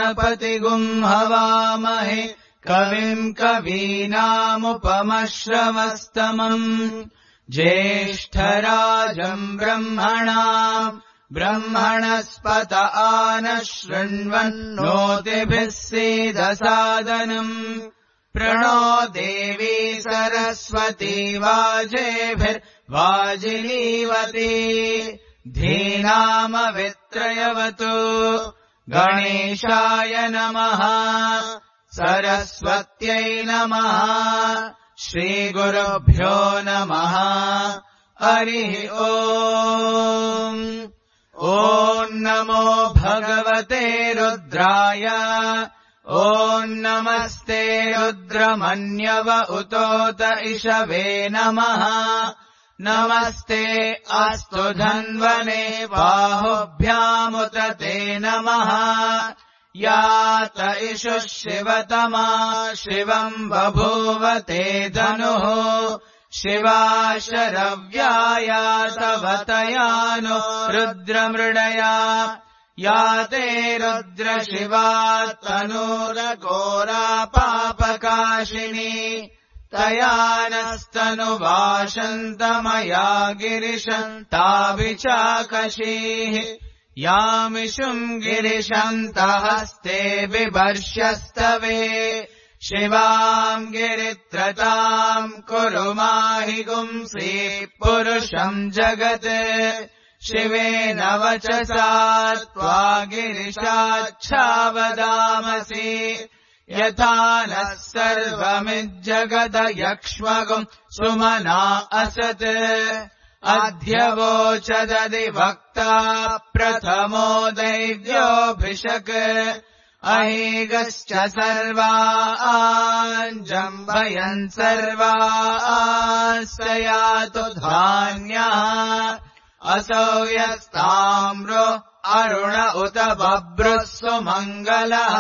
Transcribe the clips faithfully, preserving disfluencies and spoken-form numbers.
गणपतिगुं हवामहे कविम् कवीनामुपमश्रवस्तमम् ज्येष्ठराजम् ब्रह्मणाम् ब्रह्मणस्पत आनः शृण्वन्नोतिभिः सीदसादनम् प्रणो देवी सरस्वती वाजेभिर्वाजिनीवती धीनामवित्रयवतु गणेशाय नमः सरस्वत्यै नमः श्रीगुरुभ्यो नमः हरिः ओम् ॐ नमो भगवते रुद्राय ॐ नमस्ते रुद्रमन्यव उतोत इषवे नमः नमस्ते अस्तु धन्वने बाहुभ्यामुत ते नमः यात इषुः शिवतमा शिवम् बभूव ते धनुः शिवा शरव्याया तवतया नो रुद्रमृडया याते रुद्रशिवा तनूरघोरा पापकाशिनी तया नस्तनुवाशन्तमया गिरिशन्ताभिचाकशीः यामिषुम् गिरिशन्तहस्ते बिभर्ष्यस्तवे शिवाम् गिरित्रताम् कुरु माहि गुंसि पुरुषम् जगत् शिवेन वचसा त्वा गिरिशाच्छावदामसि यथा नः सर्वमिज्जगदयक्ष्मगुम् सुमना असत् अध्यवोचदधिवक्ता प्रथमो दैव्योऽभिषक् अहेगश्च सर्वान् जम्भयन् सर्वान् स यातु धान्यः असौ यस्ताम्रो अरुण उत बभ्रुः सुमङ्गलः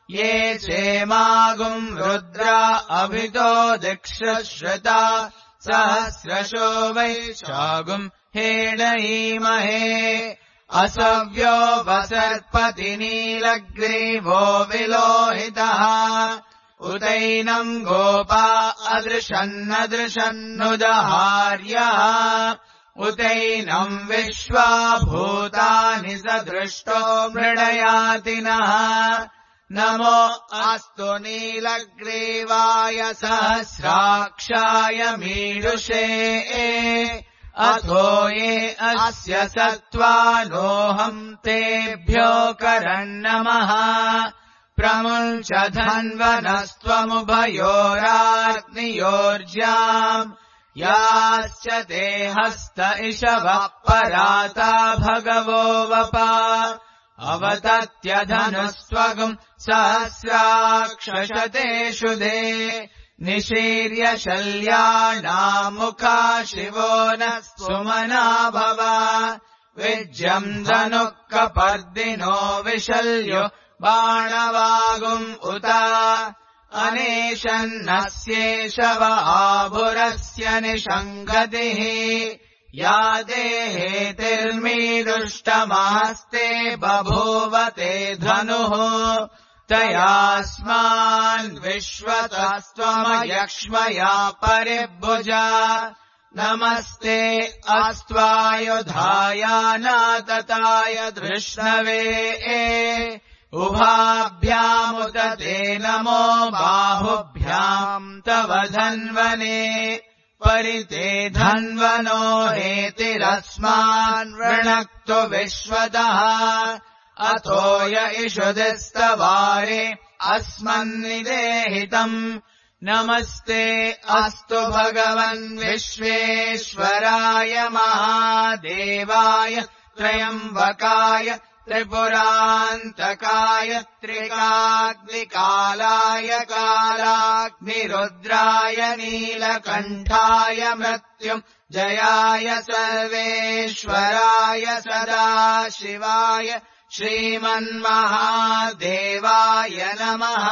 ये चेमागुम् रुद्रा अभितो दिक्षश्रुता सहस्रशो वैशागुम् हेडयीमहे असव्यो वसर्पति नीलग्रीवो विलोहितः उदैनम् गोपा अदृशन्नदृशन्नुदहार्यः उदैनम् विश्वा भूतानि स दृष्टो मृडयातिनः नमो अस्तु नीलग्रीवाय सहस्राक्षाय मीडुषे अथो ये अस्य सत्त्वानोऽहम् तेभ्यो करन्नमः प्रमुञ्च धन्वनस्त्वमुभयोराग्नियोर्ज्याम् याश्च ते हस्त इषवः पराता भगवो वपा अवतत्यधनुस्त्वगुम् सहस्राक्षशतेषु दे निशीर्य शल्यानामुखा शिवो नः सुमना भव विज्यम् धनुः कपर्दिनो विशल्यो बाणवागुम् उत अनेशन्नस्येष व आभुरस्य निषङ्गतिः या देहेतिर्मीदुष्टमास्ते बभूव ते धनुः तयास्मान् विश्वतस्त्वमयक्ष्मया परिभुजा नमस्ते अस्त्वायुधायानातताय धृष्णवे उभाभ्यामुत ते नमो बाहुभ्याम् तव धन्वने परिते धन्वनो हेतिरस्मान् वृणक्तु विश्वतः अथो य इषुदिस्तवारे अस्मन्निदेहितम् नमस्ते अस्तु भगवन् विश्वेश्वराय महादेवाय त्र्यम्बकाय त्रिपुरान्तकाय त्रिकाग्निकालाय कालाग्निरुद्राय नीलकण्ठाय मृत्युम् जयाय सर्वेश्वराय सदाशिवाय श्रीमन्महादेवाय नमः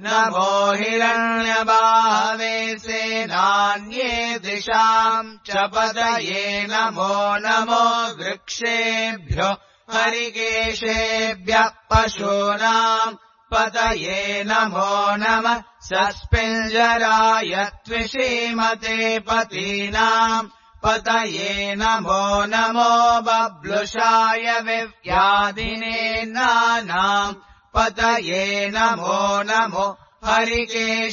नमो हिरण्यबाहवे सेनान्ये दिशाम् च पतये नमो नमो वृक्षेभ्यो हरिकेशेभ्यः पशूनाम् पतये नमो नमः सस्पिञ्जराय त्विषीमते पतीनाम् पतये नमो नमो बब्लुषाय विव्याधिने नानाम् पतये नमो नमो हरिकेशायोपवीतिने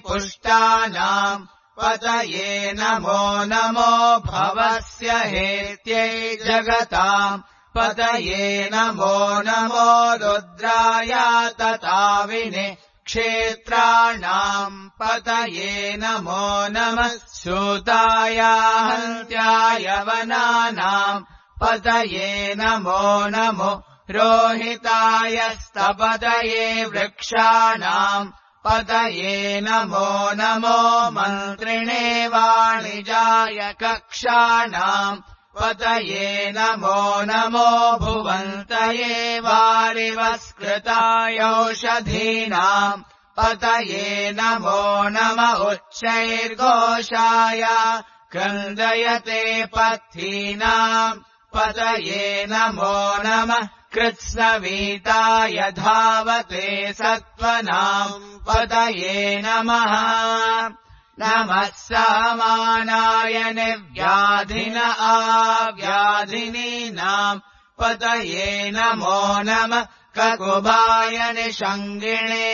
पुष्टानाम् पतये नमो नमो भवस्य हेत्यै जगताम् पतये नमो नमो रुद्राय तताविने क्षेत्राणाम् पतये नमो नमः सूताय हन्त्याय वनानाम् पतये नमो नमो रोहिताय स्तपतये वृक्षाणाम् पतये नमो नमो मन्त्रिणे वाणिजाय कक्षाणाम् पतये नमो नमो भुवन्तये वारिवस्कृताय औषधीनाम् पतये नमो नम उच्चैर्घोषाय क्रन्दयते पथीनाम् पतये नमो नमः कृत्स्नवीताय धावते सत्त्वनाम् पतये नमः नमः समानाय निव्याधिन आव्याधिनीनाम् पतये नमो नमः ककुभाय निषङ्गिणे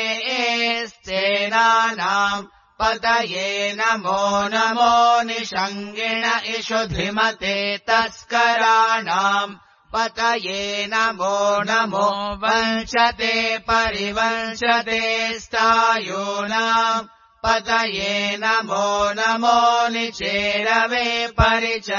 स्तेनानाम् पतये नमो नमो निषङ्गिण इषुधिमते तस्कराणाम् पतये नमो नमो वंशते परिवंशते स्थायूनाम् पतये नमो नमो निचेरवे परिचरायारण्यानाम्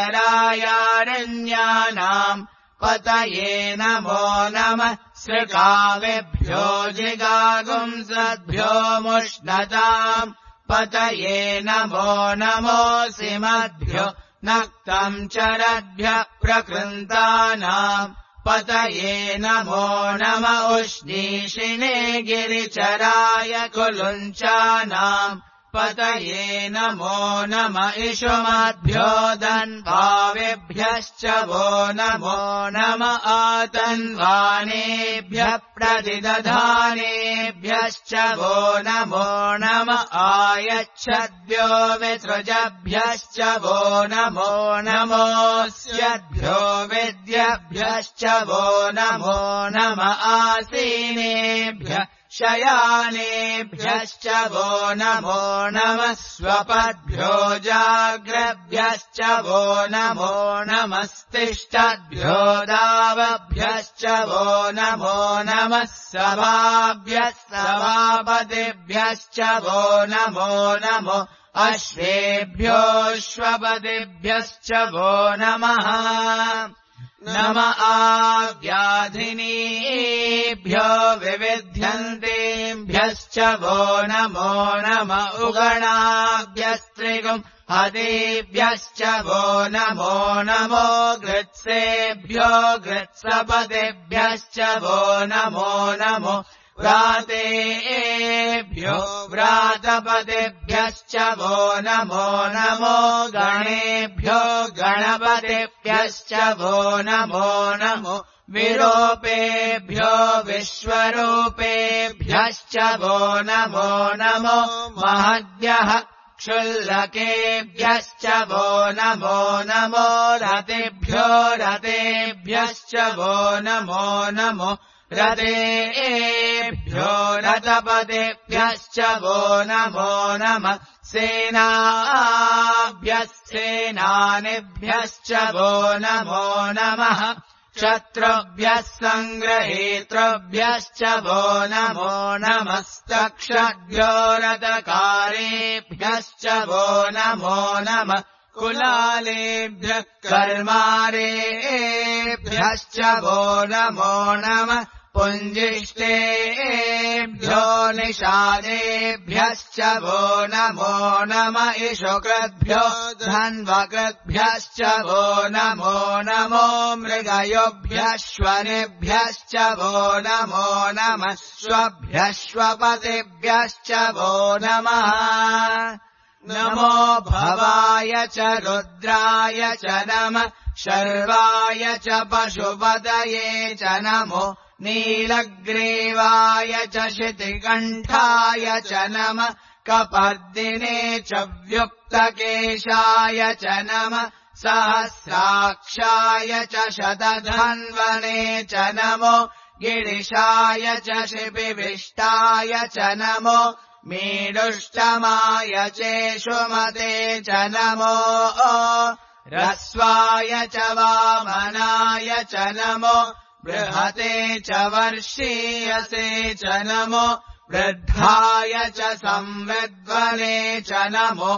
पतये नमो नमः सृगावेभ्यो जिगागुंसद्भ्यो मुष्णताम् पतये नमो नमो सिमद्भ्यो नक्तम् चरद्भ्यः प्रकृन्तानाम् पतये नमो नम उष्णीषिणे गिरिचराय कुलुञ्चानाम् पतये नमो नम इषुमद्भ्यो दन्वावेभ्यश्च वो नमो नम आतन्वानेभ्यः प्रतिदधानेभ्यश्च वो नमो नम आयच्छद्भ्यो विसृजभ्यश्च वो नमो नमोऽस्यद्भ्यो विद्यभ्यश्च वो नमो नम आसीनेभ्यः शयानेभ्यश्च वो नमो नमः स्वपद्भ्यो जाग्रभ्यश्च वो नमो नमस्तिष्ठद्भ्यो दावभ्यश्च वो नमो नमः सभाभ्यः सभापतिभ्यश्च वो नमो नमो अश्वेभ्योऽश्वपतिभ्यश्च वो नमः नम आव्याधिनीभ्यो विविध्यन्तेभ्यश्च वो नमो नम उगणाभ्यस्त्रिगुम् हतेभ्यश्च वो नमो नमो गृत्सेभ्यो गृत्सपतेभ्यश्च वो नमो नमो व्रातेभ्यो व्रातपतेभ्यश्च वो नमो नमो गणेभ्यो गणपतेभ्यश्च वो नमो नमो विरूपेभ्यो विश्वरूपेभ्यश्च वो नमो नमो महद्भ्यः क्षुल्लकेभ्यश्च वो नमो नमो रतेभ्यो रतेभ्यश्च वो नमो नमो रतेभ्यो रतपतेभ्यश्च वो नमो नमः सेनाभ्यः सेनानिभ्यश्च वो नमो नमः शत्रुभ्यः सङ्ग्रहेतृभ्यश्च वो नमो नमस्तक्षद्भ्यो रतकारेभ्यश्च वो नमो नमः कुलालेभ्यः कर्मारेभ्यश्च वो नमो नमः पुञ्जिष्टेभ्यो निषादेभ्यश्च वो नमो नम इषुकृद्भ्यो धन्वकृद्भ्यश्च वो नमो नमो मृगयोभ्यश्वनेभ्यश्च वो नमो नमः स्वभ्यश्वपतिभ्यश्च वो नमः नमो भवाय च रुद्राय च नमः शर्वाय च पशुपतये च नमो नीलग्रीवाय च शितिकण्ठाय च नमः कपर्दिने च व्युक्तकेशाय च नमः सहस्राक्षाय च शतधन्वने च नमो गिरिशाय च शिपिविष्टाय च नमो मीडुष्टमाय चेषुमते च नमो रस्वाय च वामनाय च नमो बृहते च वर्षीयसे च नमो वृद्धाय च संविद्वने च नमो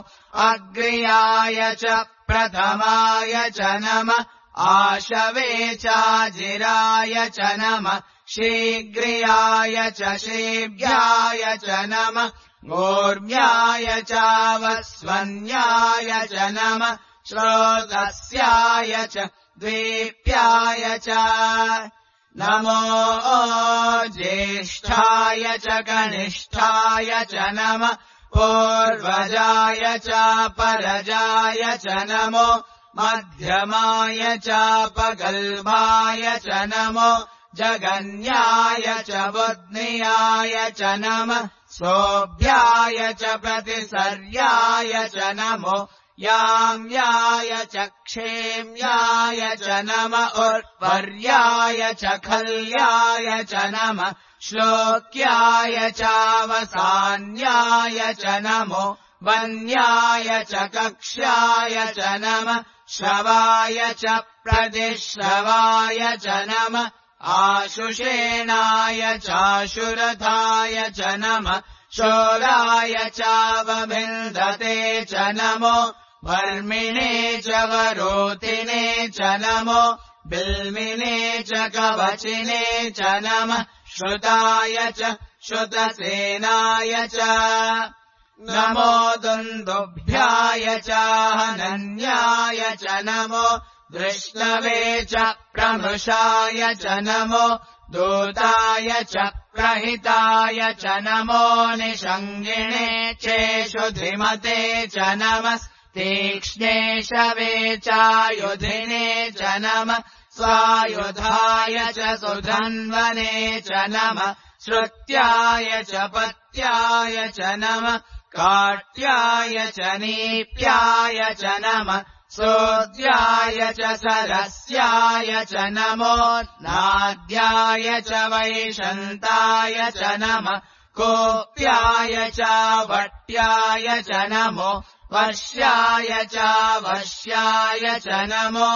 अग्र्याय च प्रथमाय च नमः आशवे चाजिराय च नमः शीघ्रियाय च शीघ्राय च नमः ऊर्म्याय चावस्वन्याय च नमः श्रोतस्याय च द्वीप्याय च नमो ज्येष्ठाय च कनिष्ठाय च नमः पूर्वजाय च परजाय च नमो मध्यमाय चापगल्भाय च नमो जगन्याय च बुद्ध्याय च नमः सोऽभ्याय च प्रतिसर्याय च नमो याम्याय च क्षेम्याय च नमः उत्पर्याय च खल्याय च नमः श्लोक्याय चावसान्याय च नमो वन्याय च कक्ष्याय च नमः श्रवाय च प्रतिश्रवाय च नमः आशुषेणाय चाशुरथाय च नमः शोराय चावभिन्दते च नमो वर्मिणे च वरोतिने च नमो बिल्मिने च कवचिने च नमः श्रुताय च श्रुतसेनाय च नमो दुन्दुभ्याय च हनन्याय च नमो दृष्णवे च प्रमृषाय च नमो दूताय च प्रहिताय च नमो निषङ्गिणे चेषुधिमते च नमः तीक्ष्णे शवे चायुधिने च नमः स्वायुधाय च सुधन्वने च नमः श्रुत्याय च पत्याय च नमः काट्याय च नीप्याय च नमः सोद्याय च सरस्याय च नमो नाद्याय च वैशन्ताय च नमः कोप्याय च वट्याय च नमो वर्ष्याय च वश्याय च नमो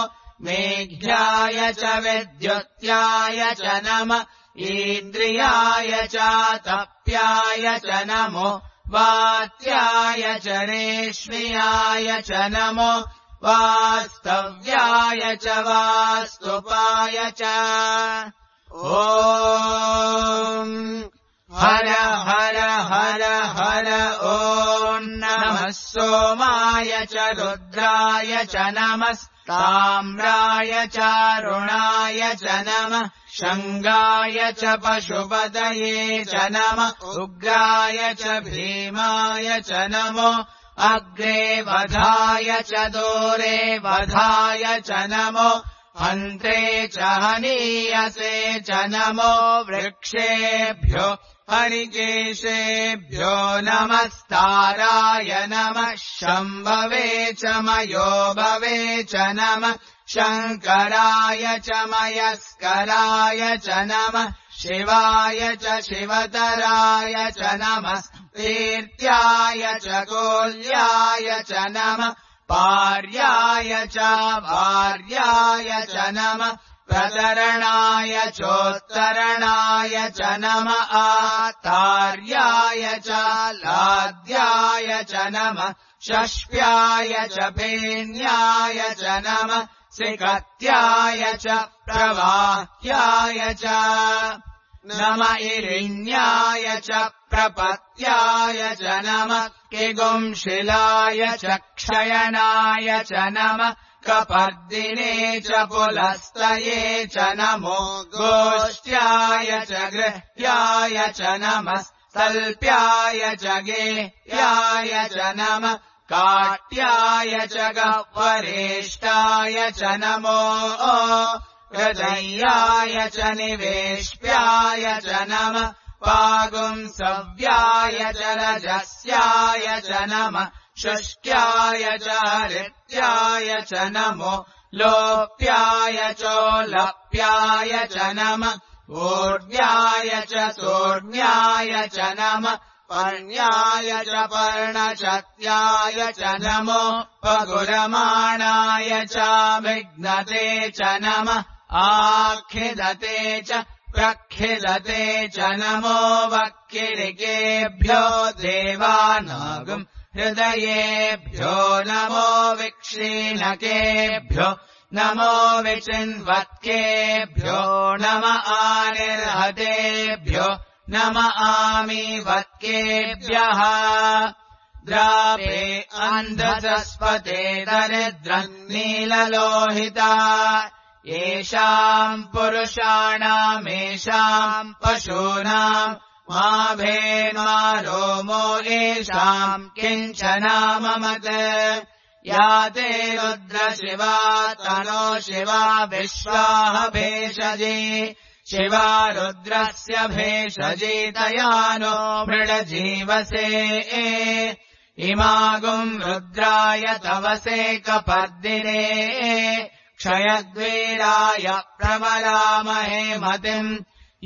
मेघ्याय च विद्युत्याय च नमः इन्द्रियाय च तप्याय च नमो वात्याय च रेष्म्याय च नमो वास्तव्याय च वास्तुपाय च ॐ हर हर हर हर ॐ नमः सोमाय च रुद्राय च नमः ताम्राय चारुणाय च नमः शङ्गाय च पशुपतये च नमः उग्राय च भीमाय च नमो अग्रे वधाय च दूरे वधाय च नमो हन्त्रे च हनीयसे च नमो वृक्षेभ्यो हरिकेशेभ्यो नमस्ताराय नमः शम्भवे च मयोभवे च नमः शङ्कराय च मयस्कराय च नमः शिवाय च शिवतराय च नमः तीर्थ्याय च कोल्याय च नमः पार्याय च भार्याय च नमः प्रतरणाय चोत्तरणाय च नमः आतार्याय च लाद्याय च नमः षष्प्याय च फेन्याय च नमः सिकत्याय च प्रवाह्याय च नम इरिण्याय च प्रपत्याय च नमः किगुंशिलाय च क्षयणाय च नमः कपर्दिने च पुलस्तये च नमो गोष्ट्याय च गृह्याय च नमः तल्प्याय च गेह्याय च नमः काट्याय च गह्वरेष्टाय च नमो रजय्याय च निवेश्याय च नमः पागुंसव्याय च रजस्याय च नमः शुष्क्याय च हरित्याय च नमो लोप्याय चोलप्याय च नमः ऊर्ध्याय च सोर्ध्याय च नमः पर्ण्याय च पर्णशत्याय च नमो पगुरमाणाय च विघ्नते च नमः आखिदते च प्रखिदते च नमो वक्किरिकेभ्यो देवानागम् हृदयेभ्यो नमो विक्षीणकेभ्यो नमो विचिन्वत्केभ्यो नम आनिर्हतेभ्यो नम आमीवत्केभ्यः द्रावे अन्धसस्पते दरिद्रम् नीललोहिता येषाम् पुरुषाणामेषाम् पशूनाम् मा भेन्मा रोमो येषाम् किञ्चनाममत् या ते रुद्रशिवा तनो शिवा विश्वाः भेषजे शिवा रुद्रस्य भेषजेतया नो मृडजीवसे इमागुम् रुद्राय तवसे कपर्दिने क्षयद्वीराय प्रवरामहे मतिम्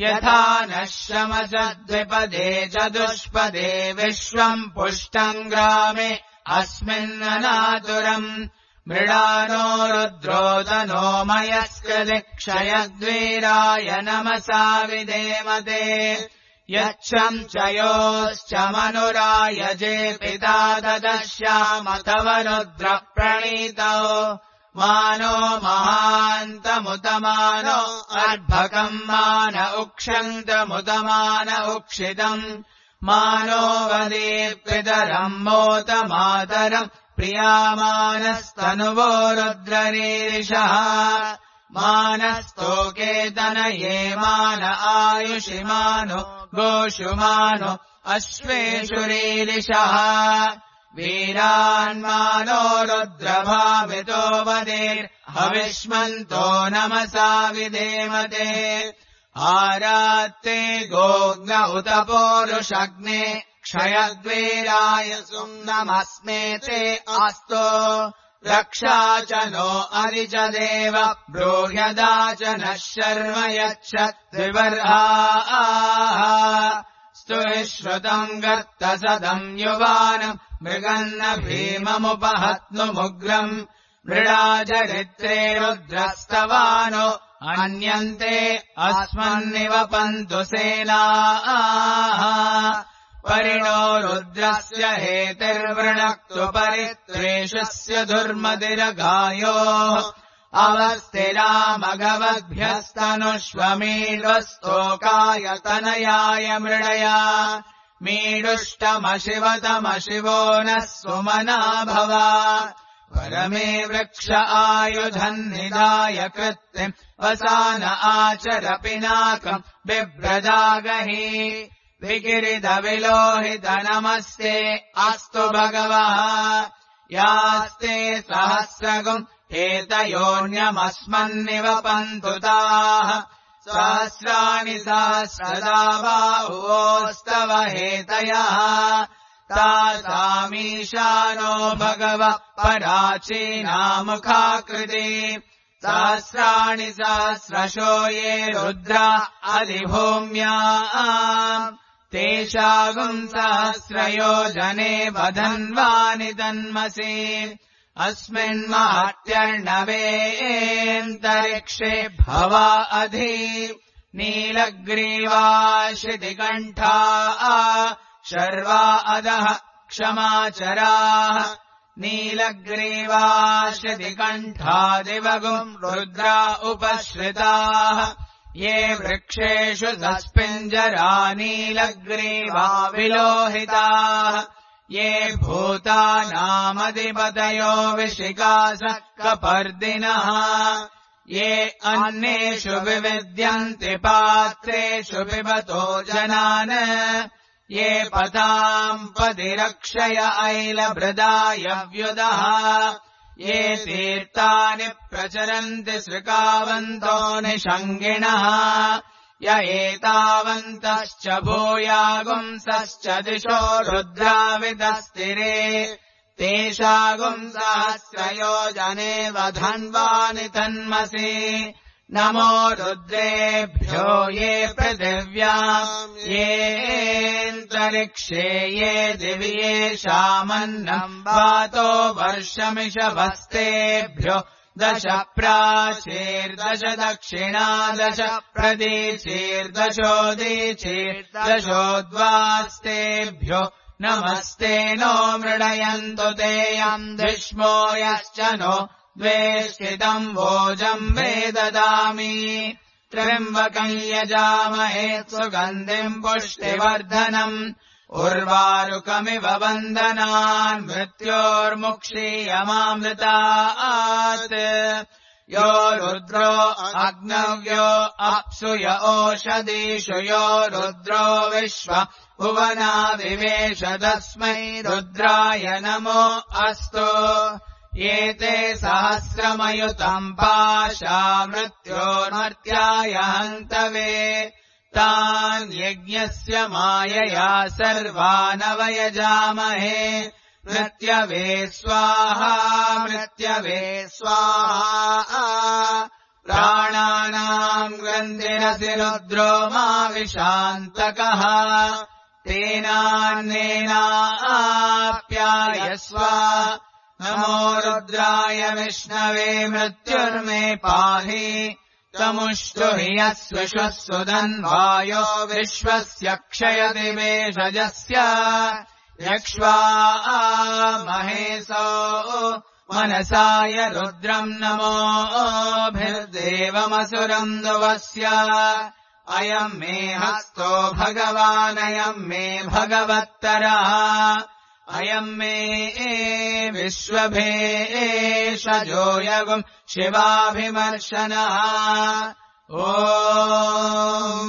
यथा नः शमसद्विपदे चतुष्पदे विश्वम् पुष्टम् ग्रामे अस्मिन्ननातुरम् मृडानो रुद्रोदनो मयस्कृति क्षयद्वीराय नमसा विधेमते यच्छम् च योश्च मनुराय जे पिता ददश्यामथव रुद्रप्रणीतौ मानो महान्तमुतमानो अर्भकम् मान उक्षन्तमुतमान उक्षितम् मानो वदेत्पितरम् मोतमातरम् प्रियामानस्तनुवो रुद्ररीरिषः मानस्तोकेतनये मान आयुषि मानो गोषु मानो अश्वेषु रीरिषः वीरान्मानो रुद्रभावितो वदेर्हविष्मन्तो नमसा विधेमते आरात्ते गोग्न उत पोरुषग्ने क्षयद्वीराय सुम्नमस्मे ते अस्तो रक्षा च नो अरिच देव ब्रूह्यदा च नः शर्म यच्छद्विवर्हाः स्तुश्रुतम् गर्तसदम् युवानम् मृगन्न भीममुपहत्नुमुग्रम् मृडाचरित्रे रुद्रस्तवानो अन्यन्ते अस्मन्निवपन्तु सेनाः परिणो रुद्रस्य हेतिर्वृणक्तु परित्रेषस्य दुर्मतिरगायोः अवस्थिरामगवद्भ्यस्तनुष्वमीड्वस्तोकाय तनयाय मृडया मीडुष्टमशिवतमशिवो नः सुमना भव परमे वृक्ष आयुधम् निधाय कृत्तिम् वसान आचर पिनाकम् बिभ्रजागहि विकिरितविलोहित नमस्ते अस्तु भगवः यास्ते सहस्रगुम् हेतयोऽन्यमस्मन्निवपन्तु ताः सहस्राणि सहस्रदा बाहुवोस्तव हेतयः तासामीशानो भगवः पराचीनामुखाकृति सहस्राणि सहस्रशो ये रुद्रा अधिभूम्याम् तेषागुम् सहस्रयोजने वधन्वानि तन्मसि अस्मिन्मात्यर्णवेऽन्तरिक्षे भवा अधि नीलग्रीवा शितिकण्ठा शर्वा अधः क्षमाचराः नीलग्रीवा शितिकण्ठादिवगुम् रुद्रा उपश्रिताः ये वृक्षेषु सस्पिञ्जरा नीलग्रीवा विलोहिताः ये भूतानामधिपतयो विशिकासः कपर्दिनः ये अन्नेषु विविद्यन्ति पात्रेषु पिबतो जनान् ये पताम् पतिरक्षय ऐलभृदायव्युदः ये तीर्थानि प्रचरन्ति सृकावन्तो निषङ्गिणः य एतावन्तश्च भूयागुंसश्च दिशो रुद्राविदस्तिरे तेषागुंसहस्रयोजने वधन्वानि तन्मसि नमो रुद्रेभ्यो ये पृथिव्याम् येऽन्तरिक्षे ये दिवि येषामन्नम् वातो वर्षमिषभस्तेभ्यो दश प्राचीर्दश दक्षिणा दश प्रदीचीर्दशोदीचीर्दशोद्वास्तेभ्यो नमस्ते नो मृडयन्तु ते यम् धिष्मो यश्च नो द्वेष्टितम् वोजम् मे ददामि त्र्यम्बकम् यजामहे सुगन्धिम् पुष्टिवर्धनम् उर्वारुकमिव बन्धनान् मृत्योर्मुक्षीयमामृतात् यो रुद्रो अग्नव्यो अप्सु य ओषधीषु यो रुद्रो विश्व भुवना विवेश तस्मै रुद्राय नमो अस्तु एते सहस्रमयुतम् पाशा मृत्योर्मर्त्याय हन्तवे तान् यज्ञस्य मायया सर्वानवयजामहे मृत्यवे स्वाहा मृत्यवे स्वाहा प्राणानाम् ग्रन्थिरसि रुद्रो मा विशान्तकः तेनान्नेनाप्यायस्व नमो रुद्राय विष्णवे मृत्युर्मे पाहि तमुष्टु हि यस्विश्वः धन्वायो विश्वस्य क्षयति वेषजस्य यक्ष्वा महेशो मनसाय रुद्रम् नमोभिर्देवमसुरम् नुवस्य अयम् मे हस्तो भगवानयम् मे भगवत्तरः अयम् मे विश्वभेषजो यगुम् शिवाभिमर्शनः ॐ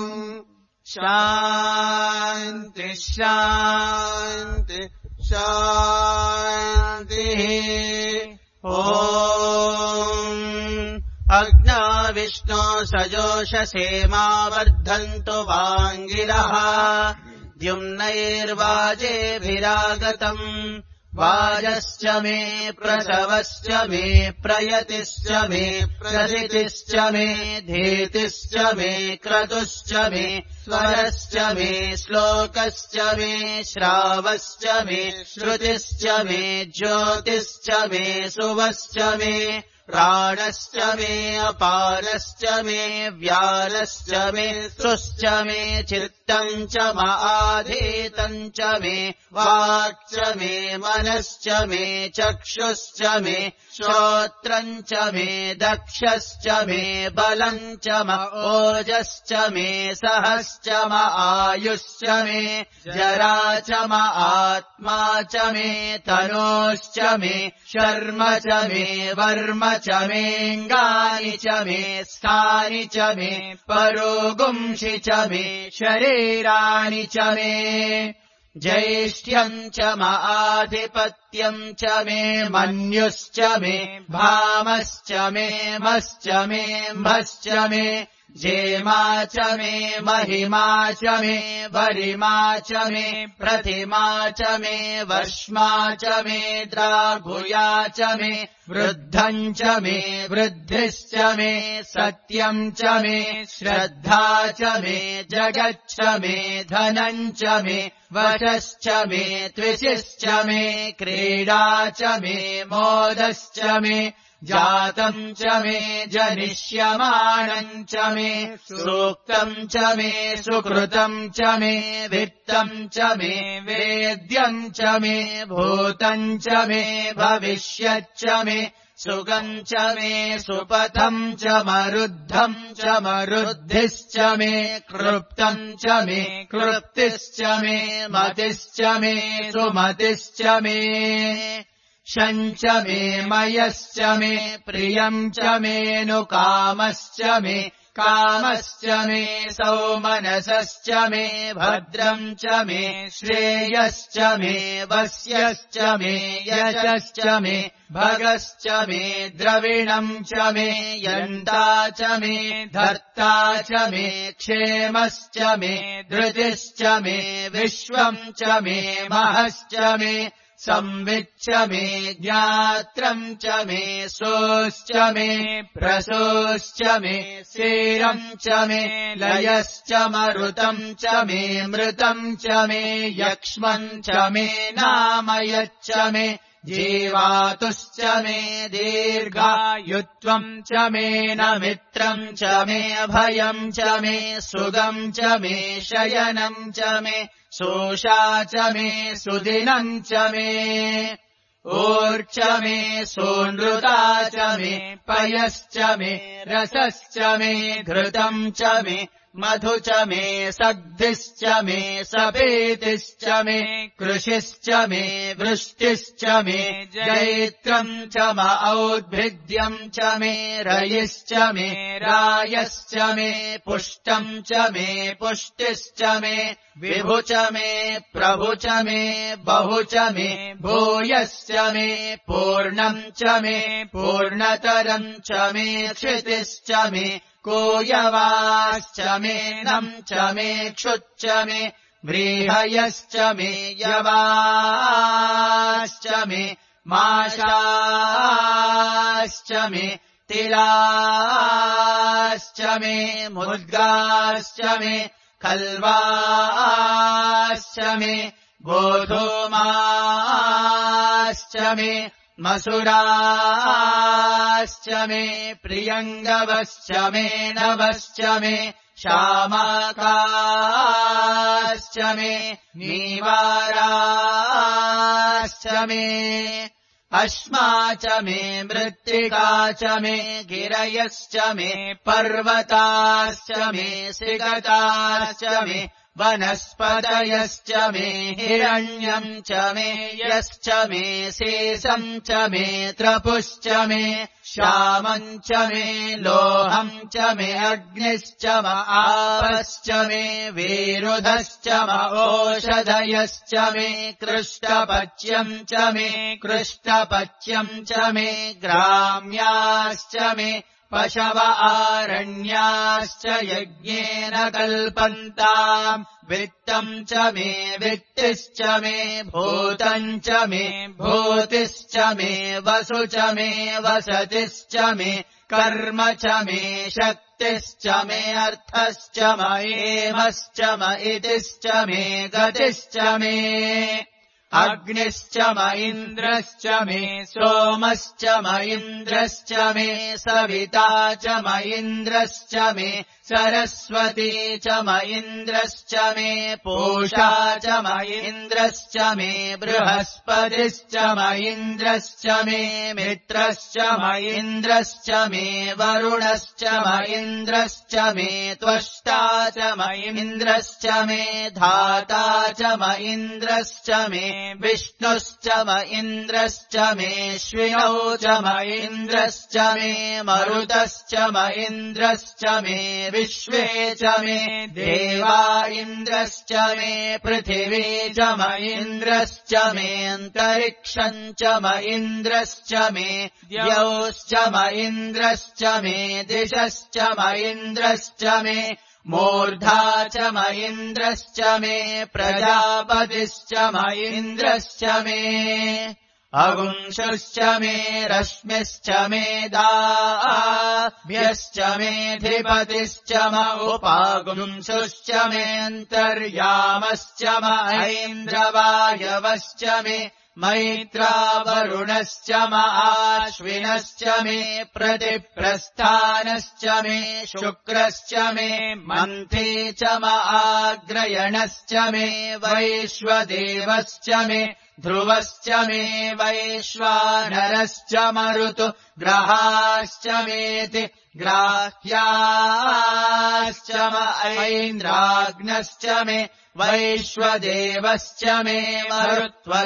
शान्ति शान्ति शान्तिः ॐ अग्ना विष्णो सजोषसेमा वर्धन्तु वाङ्गिरः द्युम्नैर्वाजेभिरागतम् वाजश्च मे प्रसवश्च मे प्रयतिश्च मे प्रसितिश्च मे धीतिश्च मे क्रतुश्च मे स्वरश्च मे श्लोकश्च मे श्रावश्च मे श्रुतिश्च मे ज्योतिश्च मे सुवश्च मे प्राणश्च मे अपारश्च मे व्यालश्च मे श्रुश्च मे चित्तम् च महाधीतम् च मे वाक् च मे मनश्च मे चक्षुश्च मे श्रोत्रम् च मे दक्षश्च मे बलम् च म ओजश्च मे सहश्च म आयुश्च मे जरा च म आत्मा च मे तनोश्च मे शर्म च मे वर्म च मेऽङ्गानि च मे स्थानि च मे परोगुंषि च मे शरीराणि च मे ज्येष्ठ्यम् च माधिपत्यम् च मे मन्युश्च मे भामश्च मे मश्च मे म्भश्च मे जेमा च मे महिमा च मे वरिमा च मे प्रतिमा च मे वर्ष्मा च मे द्राघुया च मे वृद्धम् च मे वृद्धिश्च मे सत्यम् च मे श्रद्धा च मे जगच्च मे धनम् च मे वशश्च मे त्विषिश्च मे क्रीडा च मे मोदश्च मे जातम् च मे जनिष्यमाणम् च मे सूक्तम् च मे सुकृतम् च मे वित्तम् च मे वेद्यम् च मे भूतम् च मे भविष्यच्च मे सुगम् च मे सुपथम् च मरुद्धम् च मरुद्धिश्च मे क्लृप्तम् च मे क्लृप्तिश्च मे मतिश्च मे सुमतिश्च मे शञ्च मे मयश्च मे प्रियम् च मेऽनुकामश्च मे कामश्च मे सौमनसश्च मे भद्रम् च मे श्रेयश्च मे वस्यश्च मे यशश्च मे भगश्च मे द्रविणम् च मे यन्ता च मे धर्ता च मे क्षेमश्च मे धृतिश्च मे विश्वम् च मे महश्च मे संविच्च मे ज्ञात्रम् च मे सोश्च मे प्रसोश्च मे सीरम् च मे लयश्च मरुतम् च मे मृतम् च मे यक्ष्मम् च मे नामयच्च मे जीवातुश्च मे दीर्घायुत्वम् च मे न मित्रम् च मे अभयम् च मे सुगम् च मे शयनम् च मे सोषा च मे सुदिनम् च मे ऊर्च मे सोनृता च मे पयश्च मे रसश्च मे घृतम् च मे मधु च मे सग्धिश्च मे सपेतिश्च मे कृषिश्च मे वृष्टिश्च मे जैत्रम् च म औद्भिद्यम् च मे रयिश्च मे रायश्च मे पुष्टम् च मे पुष्टिश्च मे विभु च मे प्रभु च मे बहु च मे भूयश्च मे पूर्णम् च मे पूर्णतरम् च मे क्षितिश्च मे कोयवाश्च मे नम् च मे क्षुच्च मे व्रीहयश्च मे यवाश्च मे माशाश्च मे तिलाश्च मे मुद्गाश्च मे खल्वाश्च मे गोधूमाश्च मे मसुराश्च मे प्रियङ्गवश्च मे नवश्च मे शामाकाश्च मे नीवाराश्च मे अश्मा च मे मृत्तिका च मे गिरयश्च मे पर्वताश्च मे सिगताश्च मे वनस्पतयश्च मे हिरण्यम् च मे यश्च मे शेषम् च मे त्रपुश्च मे श्यामम् च मे लोहम् च मे अग्निश्च म आपश्च मे विरुधश्च म ओषधयश्च मे कृष्णपच्यम् च मे कृष्णपच्यम् च मे ग्राम्याश्च मे पशव आरण्याश्च यज्ञेन कल्पन्ताम् वित्तम् च मे वित्तिश्च मे भूतम् च मे भूतिश्च मे वसु च मे वसतिश्च मे कर्म च मे शक्तिश्च मे अर्थश्च म एमश्च म इतिश्च मे गतिश्च मे अग्निश्च म इन्द्रश्च मे सोमश्च म इन्द्रश्च मे सविता च म इन्द्रश्च मे सरस्वती च म इन्द्रश्च मे पूषा च म इन्द्रश्च मे बृहस्पतिश्च म इन्द्रश्च मे मित्रश्च म इन्द्रश्च मे वरुणश्च म इन्द्रश्च मे त्वष्टा च म इन्द्रश्च मे धाता च म इन्द्रश्च मे विष्णुश्च म इन्द्रश्च मे श्विनौ च म इन्द्रश्च मे मरुतश्च म इन्द्रश्च मे विश्वे च मे देवा इन्द्रश्च मे पृथिवी च म इन्द्रश्च मे अन्तरिक्षम् च म इन्द्रश्च मे द्यौश्च म इन्द्रश्च मे दिशश्च म इन्द्रश्च मे मूर्धा च म इन्द्रश्च मे प्रजापतिश्च म इन्द्रश्च मे अगुंशुश्च मे रश्मिश्च मे दाभ्यश्च मेऽधिपतिश्च म उपागुंशुश्च मेऽन्तर्यामश्च म ऐन्द्रवायवश्च मे मैत्रावरुणश्च म आश्विनश्च मे प्रतिप्रस्थानश्च मे शुक्रश्च मे मन्थी च म आग्रयणश्च मे वैश्वदेवश्च मे ध्रुवश्च मे वैश्वानरश्च मरुतु ग्रहाश्च मेति ग्राह्याश्च म ऐन्द्राग्नश्च मे वैश्वदेवश्च मे मरुत्वतीयाश्च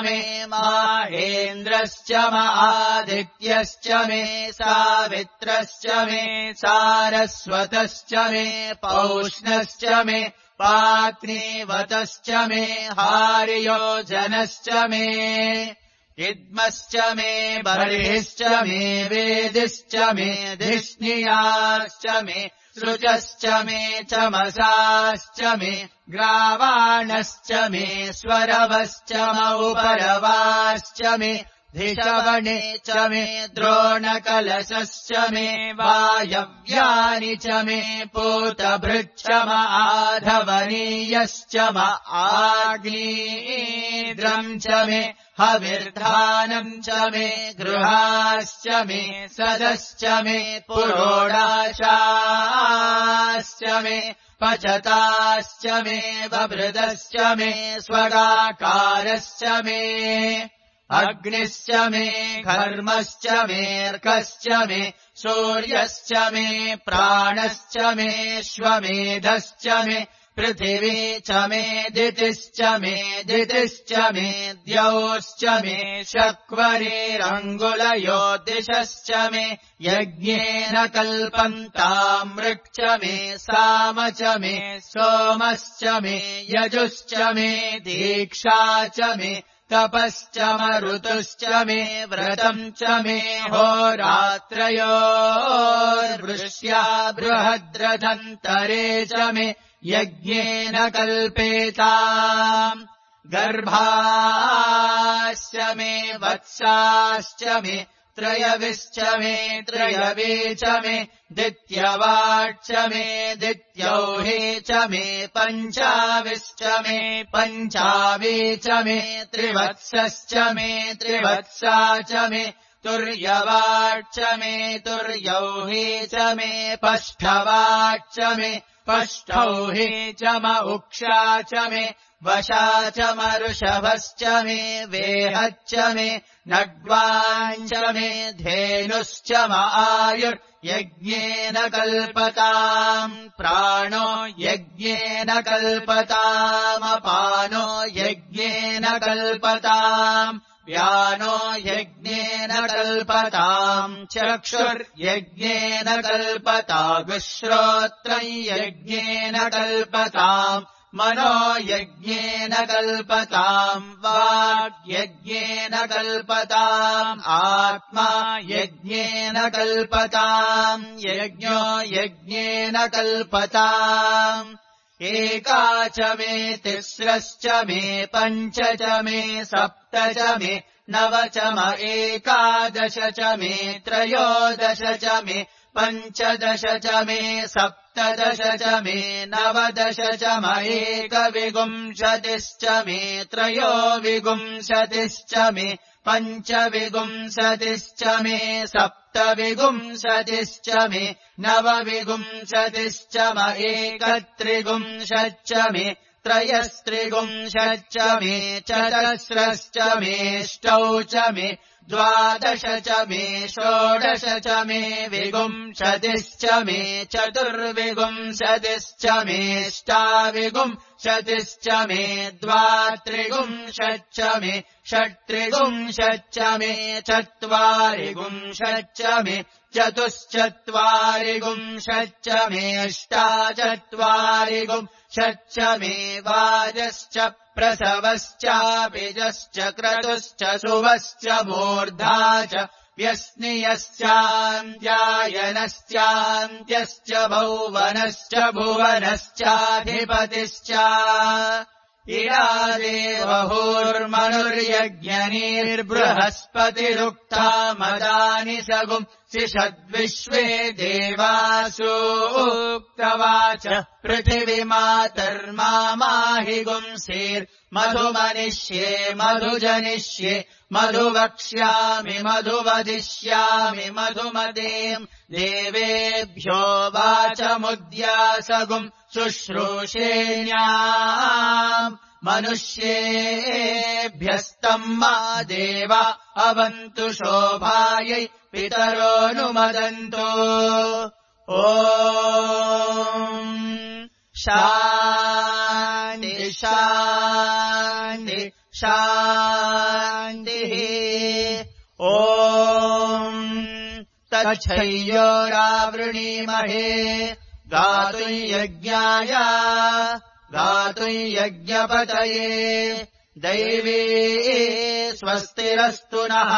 मे माहेन्द्रश्च म आदित्यश्च मे सावित्रश्च मे सारस्वतश्च मे पौष्णश्च मे पाग्नीवतश्च मे हार्योजनश्च मे इद्मश्च मे बर्हिश्च मे वेदिश्च मे धिष्णियाश्च मे सृजश्च मे चमसाश्च मे ग्रावाणश्च मे स्वरवश्च मौपरवाश्च मे धिषवणे च मे द्रोणकलशश्च मे वायव्यानि च मे पूतभृच्च म आधवनीयश्च म आग्नीद्रम् च मे हविर्धानम् च मे गृहाश्च मे सदश्च मे पुरोडाशाश्च मे पचताश्च मे वभृदश्च मे स्वगाकारश्च मे अग्निश्च मे घर्मश्च मेऽर्कश्च मे सूर्यश्च मे प्राणश्च मे श्वमेधश्च मे पृथिवी च मे दितिश्च मे दितिश्च मे द्यौश्च मे शक्वरीरङ्गुलयो दिशश्च मे यज्ञेन कल्पन्तामृक् च मे साम च मे सोमश्च मे यजुश्च मे दीक्षा च मे तपश्च मरुतुश्च मे व्रतम् च मे होरात्रयोर्वृष्या बृहद्रथन्तरे च मे यज्ञेन कल्पेताम् गर्भाश्च मे वत्साश्च मे त्रयविश्च मे त्रयवे च मे दित्यवाच्च मे दित्यौहे च मे पञ्चाविश्च मे पञ्चावे च मे त्रिवत्सश्च मे त्रिवत्सा च मे तुर्यवाच्च मे तुर्यौहे च मे पष्ठवाच्च मे पष्ठौहे च म उक्षा च मे वशा च मरुषभश्च मे वेहच्च मे नड्वाञ्च मे धेनुश्च म आयुर्यज्ञेन कल्पताम् प्राणो यज्ञेन कल्पतामपानो यज्ञेन कल्पताम् व्यानो यज्ञेन कल्पताम् चक्षुर्यज्ञेन कल्पताम् श्रोत्रम् यज्ञेन कल्पताम् मनो यज्ञेन कल्पताम् वाग्यज्ञेन कल्पताम् आत्मा यज्ञेन कल्पताम् यज्ञो यज्ञेन कल्पताम् एका च मे तिस्रश्च मे पञ्च च मे सप्त च मे नव च म एकादश च मे त्रयोदश च मे पञ्चदश च मे सप्तदश च मे नवदश च म एकविंशतिश्च मे त्रयोविंशतिश्च मे पञ्चविंशतिश्च मे सप्तविंशतिश्च मे नवविंशतिश्च म एकत्रिंशच्च मे त्रयस्त्रिंशच्च मे चतस्रश्च मेष्टौ च मे द्वादश च मे षोडश च मे विंशतिश्च मे चतुर्विंशतिश्च मेष्टाविंशतिश्च मे द्वात्रिंशच्च मे षट्त्रिंशच्च मे चत्वारिंशच्च मे चतुश्चत्वारिंशच्च मेष्टाचत्वारिंशच्च मे वाजश्च प्रसवश्चापिजश्च क्रतुश्च शुभश्च मूर्धा च व्यस्नियश्चान्त्यायनश्चान्त्यश्च भौवनश्च भुवनश्चाधिपतिश्च इडादेवहुर्मनुर्यज्ञनीर्बृहस्पतिरुक्ता मदानि सगुम् सिषद्विश्वे देवासूक्तवाच पृथिवीमातर्मामाहि गुंसेर्मधुमनिष्ये मधुजनिष्ये मधुवक्ष्यामि मधुवदिष्यामि मधुमदेम् देवेभ्यो वाचमुद्यासगुम् शुश्रूषेण्याम् मनुष्येभ्यस्तम् मा देवा अवन्तु शोभायै पितरोऽनुमदन्तो ॐ शान्ति शान्ति शान्तिः ॐ तच्छय्योरावृणीमहे गातुम् यज्ञाय गातुम् यज्ञपतये दैवी स्वस्तिरस्तु नः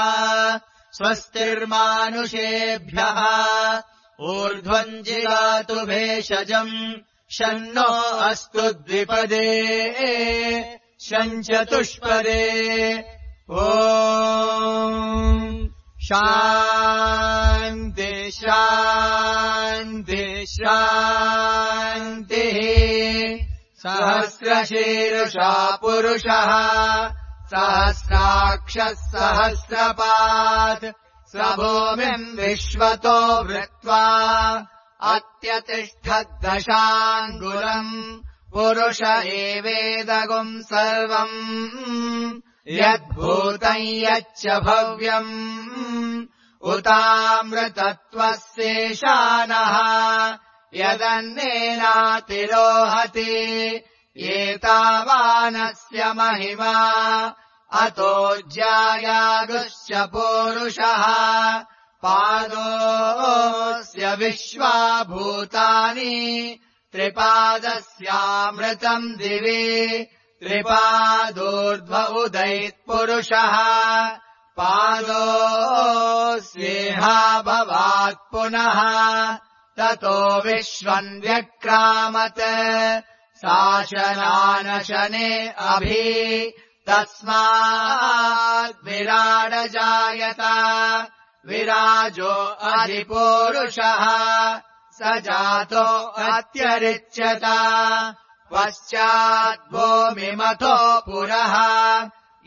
स्वस्तिर्मानुषेभ्यः ऊर्ध्वम् जिगातु भेषजम् शन्नो अस्तु द्विपदे शञ्चतुष्पदे ॐ शान्ति शान्ति शान्तिः सहस्रशीर्षा पुरुषः सहस्राक्षः सहस्रपात् स भूमिम् विश्वतो वृत्वा अत्यतिष्ठद्दशाङ्गुलम् पुरुष एवेदगुम् सर्वम् यद्भूतम् यच्च भव्यम् उतामृतत्वस्येषानः यदन्नेनातिरोहति एतावानस्य महिमा अतो ज्यायागुश्च पूरुषः पादोऽस्य विश्वाभूतानि त्रिपादस्यामृतम् दिवि त्रिपादोर्ध्व उदैत्पुरुषः पादोऽस्येहाभवात् पुनः ततो विश्वम् व्यक्रामत् शासनानशने अभि तस्माद्विराडजायत विराजो अधिपूरुषः स जातो अत्यरिच्यत पश्चाद्भूमिमथो पुरः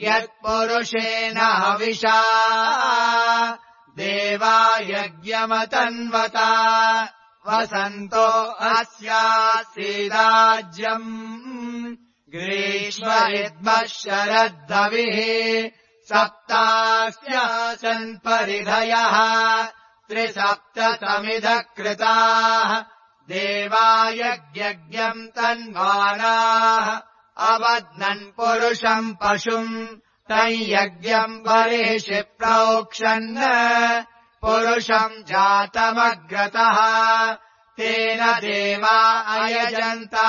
यत्पुरुषेण हविषा देवा यज्ञमतन्वता वसन्तो अस्यासीदाज्यम् ग्रीष्म इद्मः शरद्धविः सप्तास्यासन् परिधयः त्रिसप्तसमिधः कृताः देवा यज्ञम् तन्वानाः अवध्नन् पुरुषम् पशुम् तम् यज्ञम् बर्हिषि प्रोक्षन् पुरुषम् जातमग्रतः तेन देवा अयजन्ता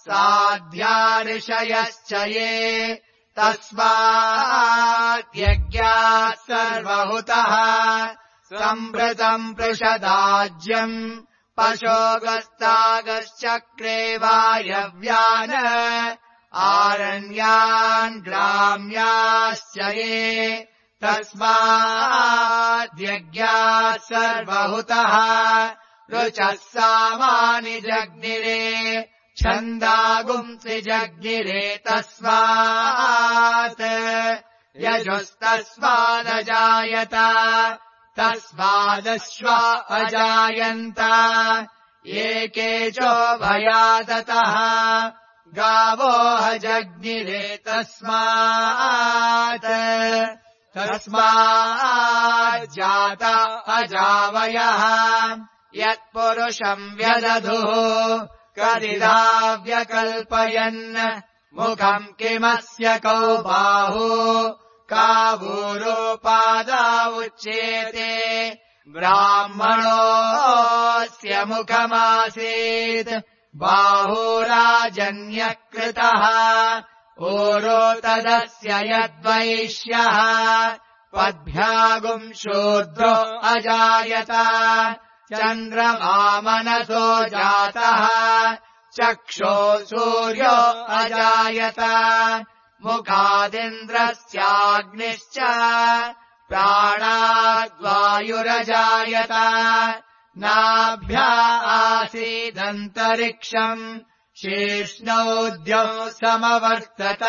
साध्या ऋषयश्च ये तस्माद्यज्ञात् सर्वहुतः सम्भृतम् पृषदाज्यम् पशोगस्तागश्चक्रे वायव्यान् आरण्यान् ग्राम्याश्च ये तस्माद्यज्ञात् सर्वहुतः ऋचः सामानि जग्निरे छन्दागुंसि जग्निरे तस्मात् यजुस्तस्मादजायत तस्मादश्वा अजायन्त एकेचो भयादतः गावोह जग्निरे तस्मात् तस्माज्जात अजावयः यत्पुरुषम् व्यदधुः कदिदा व्यकल्पयन् मुखम् किमस्य कौ बाहु कावूरोपादा उच्येते ब्राह्मणोऽस्य मुखमासीत् बाहुराजन्यकृतः ऊरो तदस्य यद्वैश्यः पद्भ्यागुम् शूद्रो अजायत चन्द्रमामनसो जातः चक्षो सूर्यो अजायत मुखादिन्द्रस्याग्निश्च प्राणाद्वायुरजायत नाभ्या आसीदन्तरिक्षम् शीर्ष्णौद्यौ समवर्तत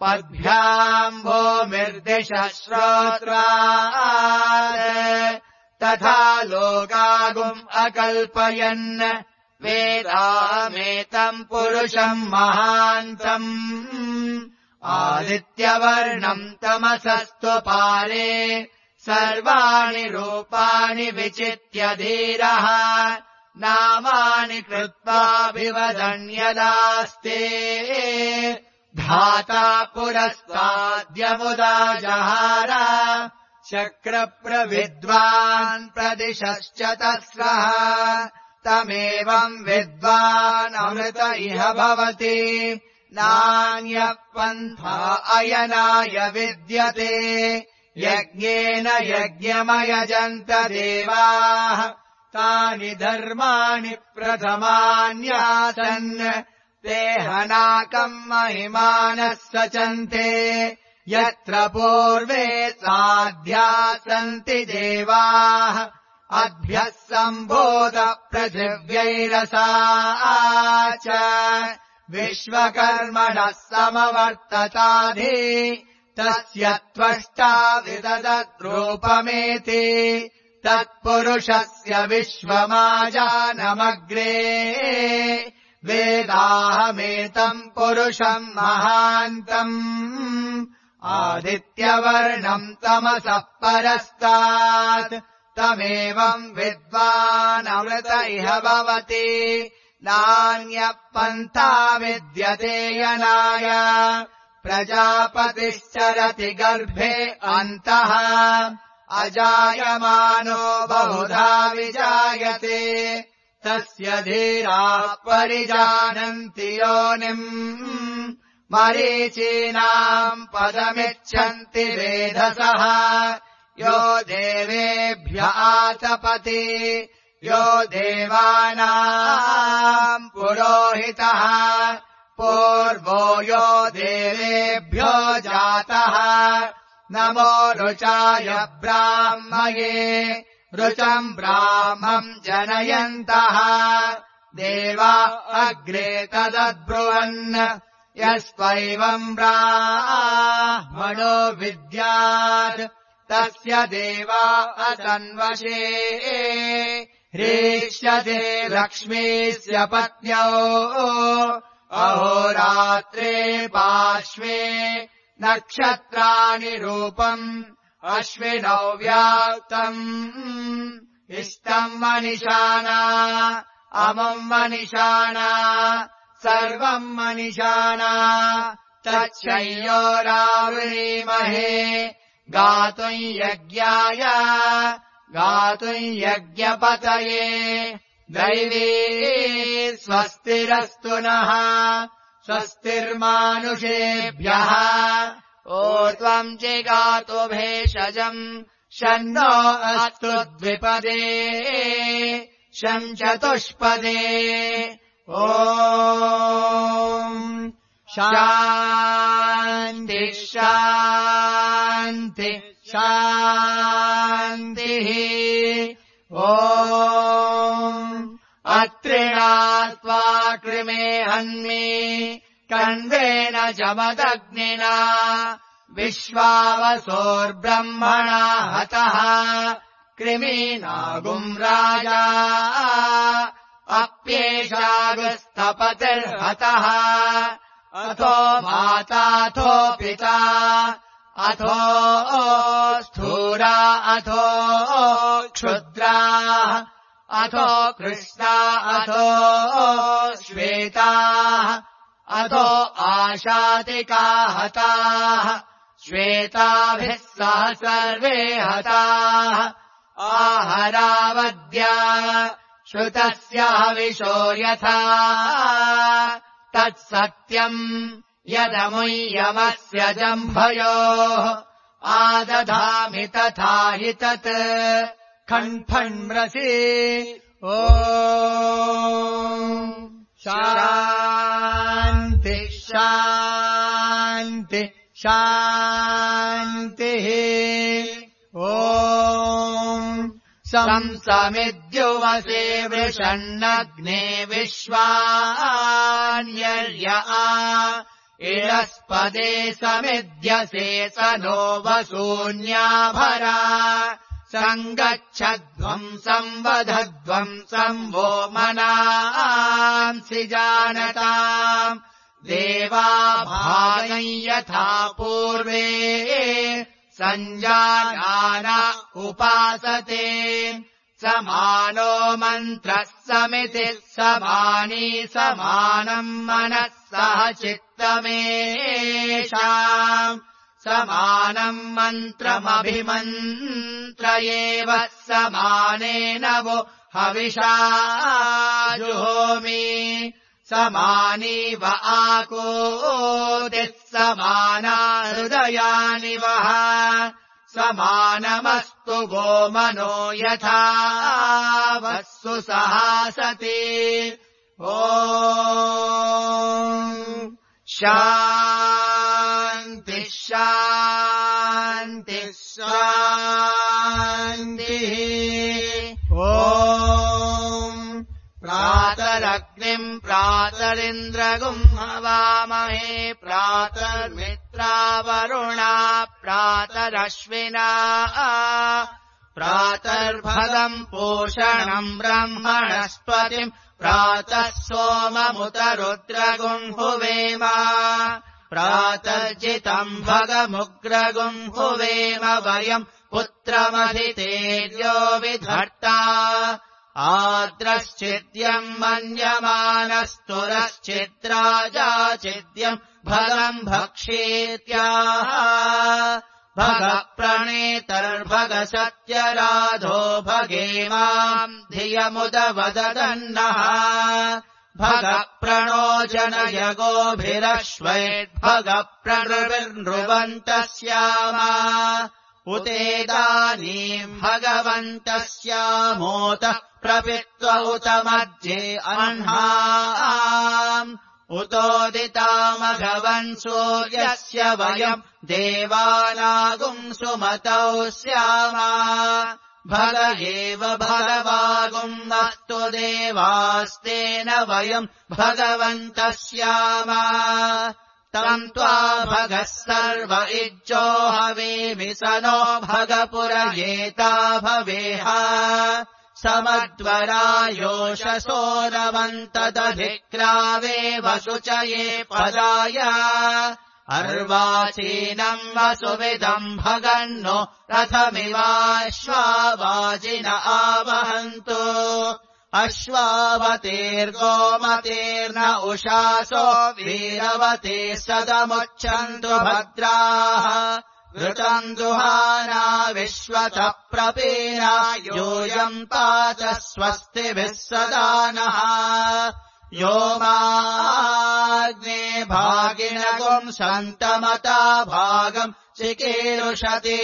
पद्भ्याम् भूमिर्दिशः श्रोत्रात् तथा लोकागुम् अकल्पयन् वेदामेतम् पुरुषम् महान्तम् आदित्यवर्णम् तमसस्तु पारे सर्वाणि रूपाणि विचित्य धीरः नामानि कृत्वाभिवदन्यदास्ते धाता पुरस्ताद्यमुदा जहार चक्रप्रविद्वान् प्रदिशश्च तस्रः तमेवम् विद्वान् अमृत इह भवति नान्यः पन्था अयनाय विद्यते यज्ञेन यज्ञमयजन्त देवाः तानि धर्माणि प्रथमान्यासन् ते हनाकम् महिमानः सचन्ते यत्र पूर्वे साध्या सन्ति देवाः अद्भ्यः सम्भूत पृथिव्यैरसा च विश्वकर्मणः समवर्तताधि तस्य त्वष्टा विददद्रूपमेति तत्पुरुषस्य विश्वमाजानमग्रे वेदाहमेतम् पुरुषम् महान्तम् आदित्यवर्णम् तमसः परस्तात् तमेवम् विद्वानमृत इह भवति नान्यः पन्था विद्यते यनाय प्रजापतिश्चरति गर्भे अन्तः अजायमानो बहुधा विजायते तस्य धीराः परिजानन्ति योनिम् मरीचीनाम् पदमिच्छन्ति वेधसः यो देवेभ्य आतपति यो देवानाम् पुरोहितः पूर्वो यो देवेभ्यो जातः नमो रुचाय ब्राह्मये रुचम् ब्राह्मम् जनयन्तः देवा अग्रे तदब्रुवन् यस्त्वैवम् ब्राह्मणो विद्यात् तस्य देवा अतन्वशे ह्रीष्यते लक्ष्मीस्य पत्न्यौ अहोरात्रे पार्श्वे नक्षत्राणि रूपम् अश्विनौ व्याप्तम् इष्टम् मनिषाणा अमुम् मनिषाणा सर्वम् मनिषाणा तच्छयोरावृणीमहे गातुम् यज्ञाय गातुम् यज्ञपतये दैवी स्वस्तिरस्तु नः स्वस्तिर्मानुषेभ्यः ऊर्ध्वम् जिगातु भेषजम् शन्नो अस्तु द्विपदे शं चतुष्पदे ॐ शान्ति शान्ति शान्तिः ॐ अत्रिणात्वा कृमे हन्मि कण्वेन जमदग्निना विश्वावसोर्ब्रह्मणा हतः कृमीनागुम् राजा अप्येषागस्तपतिर्हतः अथो माताथो पिता अथो स्थूरा अथो क्षुद्रा अथो कृष्णा अथो श्वेताः अथो आशातिका हताः श्वेताभिः सह सर्वे हताः आहरावद्या श्रुतस्य हविषो यथा तत्सत्यम् यदमुय्यमस्य जम्भयोः आदधामि तथा हि तत् खण्फण्म्रसि ॐ शान्ति शान्ति शान्तिः ॐ संसमिद्युवसे वृषन्नग्ने विश्वान्यर्य आ इरस्पदे समिद्यसे स नो वसून्याभरा सङ्गच्छध्वम् संवधध्वम् संवो मनांसि जानताम् देवा भागं यथा पूर्वे सञ्जानान उपासते समानो मन्त्रः समिति समानी समानम् मनः सह चित्तमेषाम् समानम् मन्त्रमभिमन्त्रयेव समानेन वो हविषा जुहोमि समानीव आकोदिः समाना हृदयानि वः समानमस्तु वो मनो यथा वस्सु सहासति ॐ शान्तिः शान्तिः शान्तिः ॐ प्रातरग्निम् प्रातरिन्द्रगुम् हवामहे प्रातर्मित्रावरुणा प्रातरश्विना प्रातर्भगम् पोषणम् ब्रह्मणस्पतिम् प्रातः सोममुतरुद्रगुम् हुवेम प्रातर्जितम् भगमुग्रगुम् हुवेम वयम् पुत्रमधितेर्यो विधर्ता आद्रश्चिद्यम् मन्यमानस्तुरश्चिद्राजाचिद्यम् भगम् भक्षेत्याह भगप्रणेतर्भगसत्यराधो भगेमाम् धियमुदवदन्नः भगप्रणो जनयगोभिरश्वैर्भगप्रणृविर्नृवन्तस्याम उतेदानीम् भगवन्तस्यामोतः प्रपित्व उत मध्ये अह्नाम् उतोदितामघवन् सूर्यस्य वयम् देवानागुम् सुमतौ स्याम भग एव भगवागुम् अस्तु देवास्तेन वयम् भगवन्तः स्याम तम् त्वा भगः सर्व इज्जो हवेमि स नो भगपुरयेता भवेह समद्वरायोषसो नवन्तदधिक्रावे वशुचये पदाय अर्वाचीनम् वसुविदम् भगन्नो रथमिवाश्वावाजिन आवहन्तु अश्वावतेर्गोमतेर्न उषासो वीरवते सदमुच्छन्तु भद्राः घृतम् दुहाना विश्वतः प्रपीना यूयम् पाच स्वस्तिभिः सदा नः यो माग्ने भागिनगुम् सन्तमता भागम् चिकीर्षति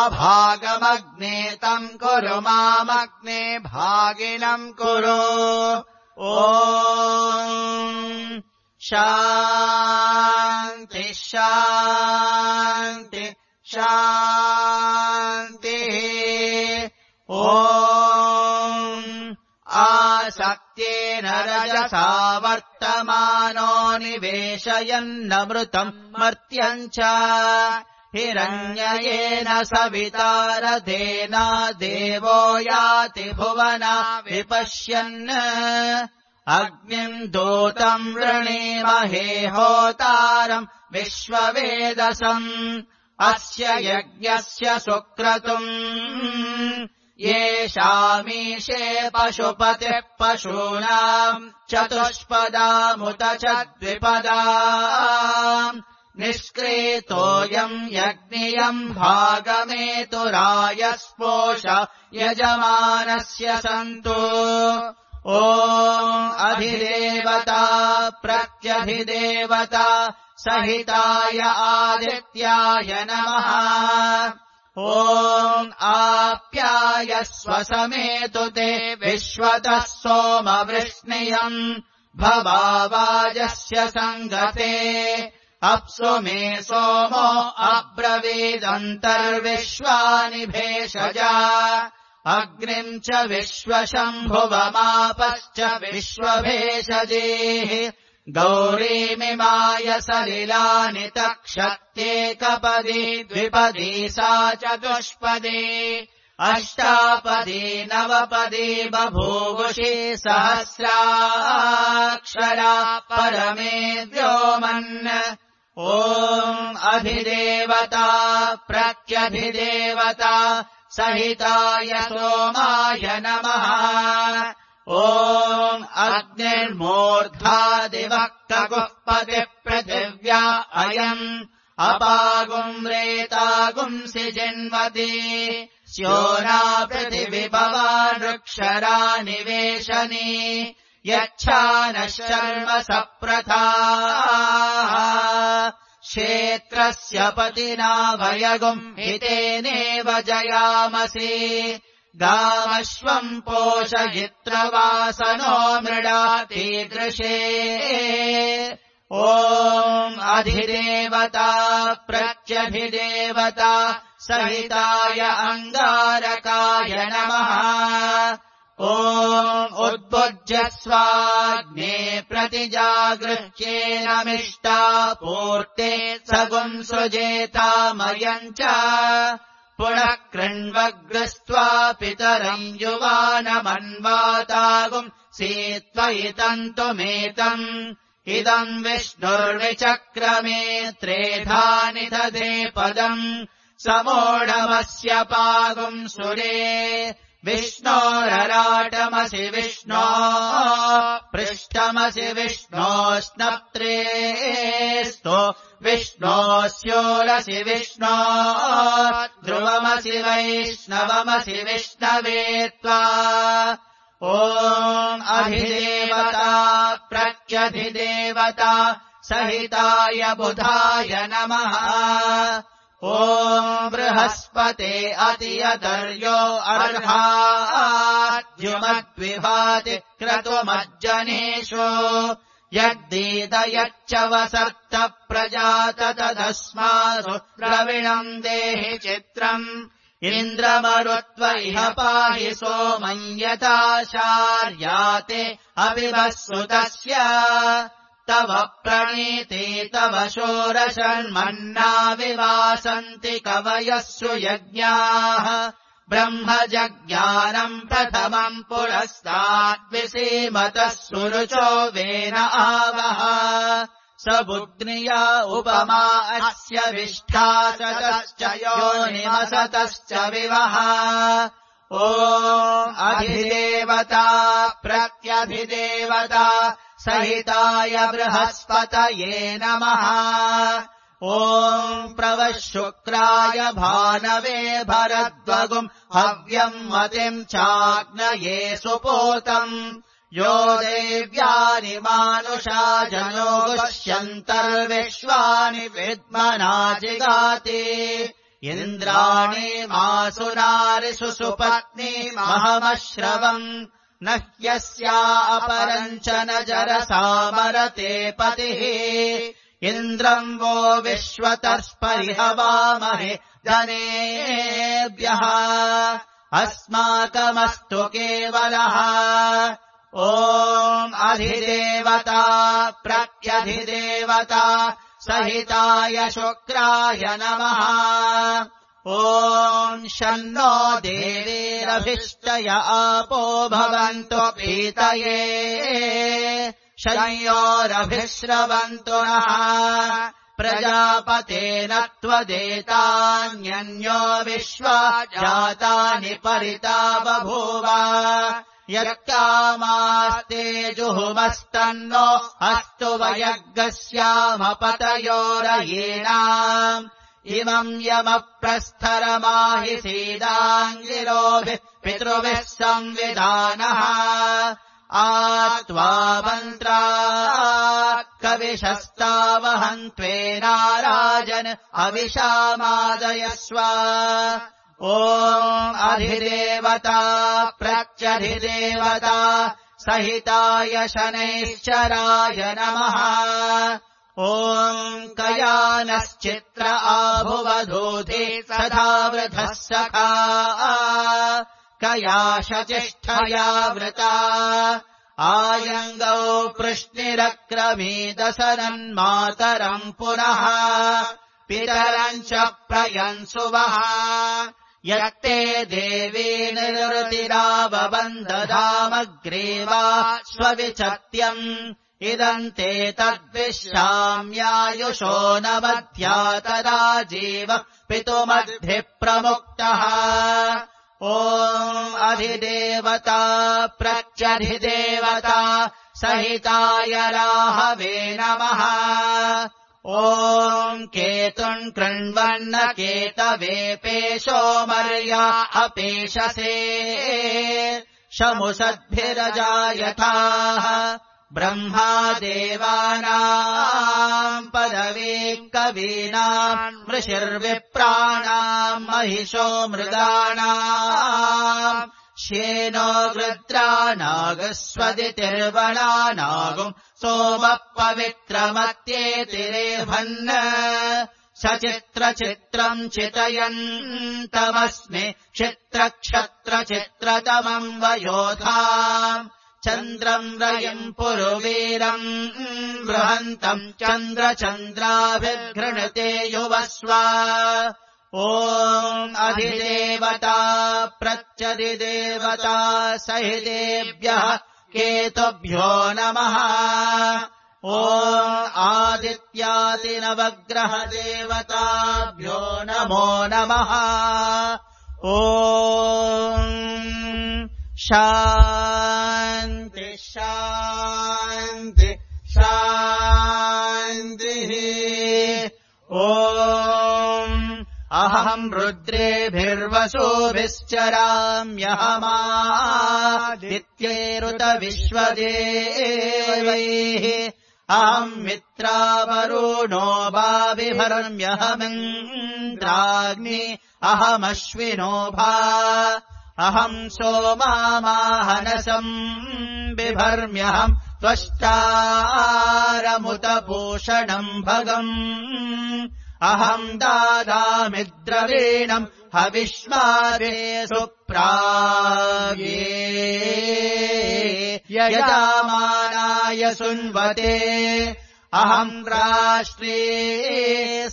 अभागमग्ने तम् कुरु मामग्ने भागिनम् कुरु ॐ शान्ति शान्ति शान्तिः ॐ आसक्त्येन रजसा वर्तमानो निवेशयन्नमृतम् मर्त्यम् च हिरण्ययेन सवितारथेन देवो याति भुवना विपश्यन् अग्निम् दूतम् वृणीमहे होतारम् विश्ववेदसम् अस्य यज्ञस्य सुक्रतुम् येषामीशे पशुपतिः पशूनाम् चतुष्पदामुत च द्विपदाम् निष्क्रेतोऽयम् यज्ञियम् भागमेतुरायस्पोष यजमानस्य सन्तु ॐ अधिदेवता प्रत्यधिदेवता सहिताय आदित्याय नमः ॐ आप्यायस्व समेतु ते विश्वतः सोमवृष्णियम् भवावाजस्य सङ्गते अप्सु मे सोमो अब्रवीदन्तर्विश्वानि भेषजा अग्निम् च विश्वशम्भुवमापश्च विश्वभेषजेः गौरीमिमाय सलिलानि तक्षत्येकपदी द्विपदी सा चतुष्पदी अष्टापदी नवपदी बभूवुषि सहस्राक्षरा परमे व्योमन् ॐ अधिदेवता प्रत्यधिदेवता सहिताय सोमाय नमः ॐ अग्निर्मूर्धादिवक्तगुः पतिपृथिव्या अयम् अपागुम् रेतागुंसि जिन्वति स्योना पृथिविभवा वृक्षरा निवेशनी यच्छानः शर्म सप्रथा क्षेत्रस्य पतिना भयगुम् हितेनेव जयामसि गामश्वम् पोषयित्रवासनो मृडातीदृशे ॐ अधिदेवता प्रत्यधिदेवता सहिताय अङ्गारकाय नमः ॐ उद्भुज्यस्वाग्ने प्रतिजागृह्येनमिष्टा पूर्ते सगुम् सृजेतामयम् च पुनः कृण्वग्रस्त्वा पितरम् युवानमन्वातागुम् सीत्वयितन्तुमेतम् इदम् विष्णुर्विचक्रमे त्रेधा निदधे पदम् समोढमस्य पागुम् सुरे विष्णोरराटमसि विष्णो पृष्ठमसि विष्णोस्नप्त्रेस्तो विष्णोस्योरसि विष्णो ध्रुवमसि वैष्णवमसि विष्णवे त्वा ॐ अधिदेवता प्रत्यधिदेवता सहिताय बुधाय नमः ॐ बृहस्पते अतियतर्यो अर्हाद्युमद्विभाति क्रतुमज्जनेषु यद्दीदयच्च वसर्त प्रजात तदस्मासु द्रविणम् देहि चित्रम् इन्द्रमरुत्व इह पाहि सोमम् यथाशार्याते अविवस्सुतस्य तव प्रणीते तव शोरशन्मन्ना विवासन्ति कवयः सुयज्ञाः ब्रह्मजज्ञानम् प्रथमम् पुरस्ताद्विसीमतः सुरुचो वेन आवः स बुद्ध्निया उपमा अस्य विष्ठा सतश्च योनिमसतश्च विवः ॐ अधिदेवता प्रत्यधिदेवता सहिताय बृहस्पतये नमः ॐ प्रवः शुक्राय भानवे भरद्वगुम् हव्यम् मतिम् चाग्नये सुपोतम् यो देव्यानि मानुषा जनो गुह्यन्तर्विश्वानि विद्मना जिगाति इन्द्राणि मासुनारिषु सुपत्नी महमश्रवम् न ह्यस्या अपरम् च न जरसामरते पतिः इन्द्रम् वो विश्वतर्स्परिहवामहे धनेभ्यः अस्माकमस्तु केवलः ॐ अधिदेवता प्रत्यधिदेवता सहिताय शुक्राय नमः ॐ शन्नो देवीरभिष्टय आपो भवन्तु पीतये शयोरभिश्रवन्तु नः प्रजापतेन त्वदेतान्यन्यो विश्वा जातानि परिता बभूव यत्कामास्ते जुहुमस्तन्नो अस्तु वयग्गस्यामपतयोरयेणाम् इमम् यमप्रस्थरमाहि सीदाङ्गिरोभिः पितृभिः संविधानः आत्वा मन्त्रा कविशस्तावहन्त्वेनाराजन् अविशामादयस्व ॐ अधिदेवता प्रत्यधिदेवता सहिताय शनैश्चराय नमः ॐ कयानश्चित्र आभुवधूधि सदावृधः सखा कयाशचिष्ठया वृता आयङ्गौ पृष्णिरक्रमीदसनन्मातरम् पुनः पितरम् च प्रयन्सुवः यत्ते देवी निरुतिरावबन्धधामग्रे वा स्वविचत्यम् इदम् ते तद्विश्राम्यायुषो न मध्या तदा जीव पितुमद्भिः प्रमुक्तः ॐ अधिदेवता प्रत्यधिदेवता सहिताय राहवे नमः ॐ केतुम् कृण्वन्न केतवे पेशो मर्या अपेशसे शमुषद्भिरजायथाः ब्रह्मा देवानाम् पदवी कवीनाम् ऋषिर्विप्राणाम् महिषो मृगाणाम् श्येनो गृद्रानागस्वदितिर्वणानागुम् सोमः पवित्रमत्येतिरेभन् सचित्रचित्रम् चितयन्तमस्मि क्षित्रक्षत्रचित्रतमम् वयोधाम् चन्द्रम् रयम् पुरुवीरम् बृहन्तम् चन्द्रचन्द्राभिर्घृणते युवस्व ॐ अधिदेवता प्रत्यधिदेवता सहितेभ्यः केतुभ्यो नमः ॐ आदित्यादिनवग्रहदेवताभ्यो नमो नमः ॐ शान्ति शान्ति शान्तिः ॐ अहम् रुद्रेभिर्वसुभिश्चराम्यहमादित्यैरुत विश्वदेवैः अहम् मित्रावरुणो वाविभर्म्यहमिन्द्राग्नि अहमश्विनो भा अहम् सोमामाहनसम् बिभर्म्यहम् त्वष्टारमुतभूषणम् भगम् अहम् दादामि द्रवीणम् हविष्मादे सुप्राव्ये यजामानाय सुन्वते अहम् राष्ट्रे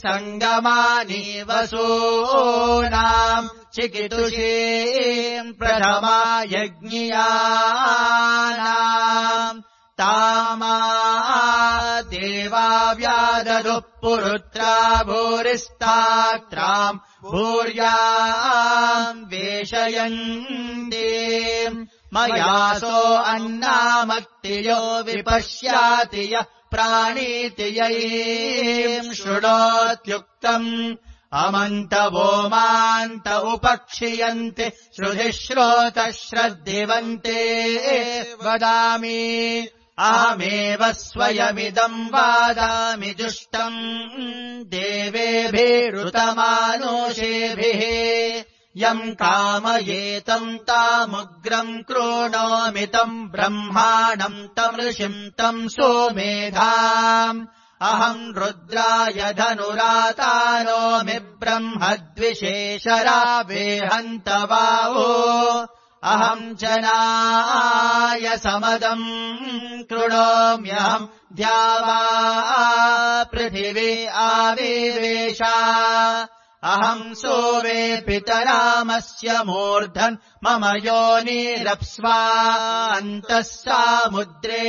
सङ्गमानि वसूनाम् चिकितुषीम् प्रथमा यज्ञियानाम् तामा देवा व्यादधुः पुरुत्रा भूरिस्तात्राम् भूर्याम् वेशयन्ति मयासो अन्नामक्तियो विपश्याति यः प्राणीति यैम् शृणोत्युक्तम् अमन्तवो मान्त उपक्षियन्ति श्रुधिः श्रोतः श्रद्धिवन्ते वदामि अहमेव स्वयमिदम् वादामि जुष्टम् देवेभिरुतमानुषेभिः यम् कामयेतम् तामुग्रम् क्रोणोमि तम् ब्रह्माणम् तम् ऋषिम् तम् सोमेधाम् अहम् रुद्राय धनुरातानोमि ब्रह्मद्विशेषरावेहन्तवावो अहम् जनाय समदम् कृणोम्यहम् द्यावा पृथिवी आविवेश अहम् सोवे पितरामस्य मूर्धन् मम योनिरप्स्वा अन्तः सामुद्रे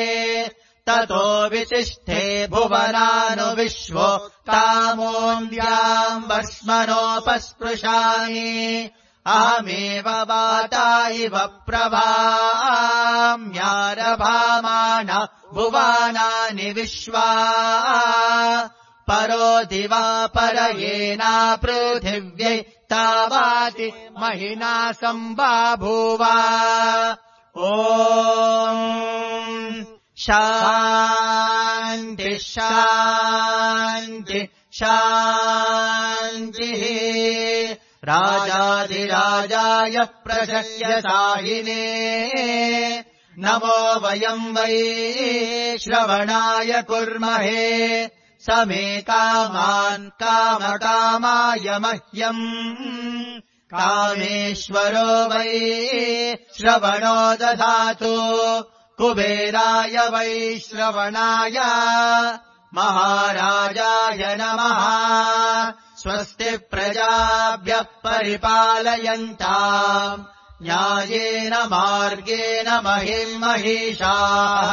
ततो वितिष्ठे भुवनानुविश्वो तामोऽन्द्याम् वर्ष्मणोपस्पृशामि अहमेव वाता इव प्रभाम्यारभामाण भुवानानि विश्वा परो दिवा परयेना पृथिव्यै तावाति महिना सम्बाभूव ॐ शान्ति शान्ति शान्तिः राजाधिराजाय प्रशस्यसाहिने नमो वयम् वै श्रवणाय कुर्महे समे कामान् कामकामाय मह्यम् कामेश्वरो वै श्रवणो दधातु कुबेराय वै श्रवणाय महाराजाय नमः स्वस्ति प्रजाभ्यः परिपालयन्ताम् न्यायेन मार्गेण महिम् महिषाः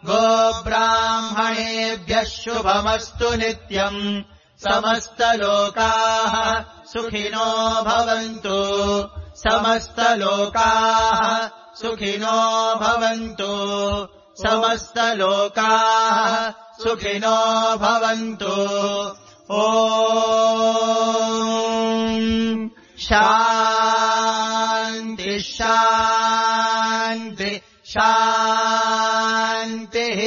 गोब्राह्मणेभ्यः शुभमस्तु नित्यम् समस्तलोकाः सुखिनो भवन्तु समस्तलोकाः सुखिनो भवन्तु समस्तलोकाः सुखिनो भवन्तु ॐ शान्ति शान्ति शान्तिः।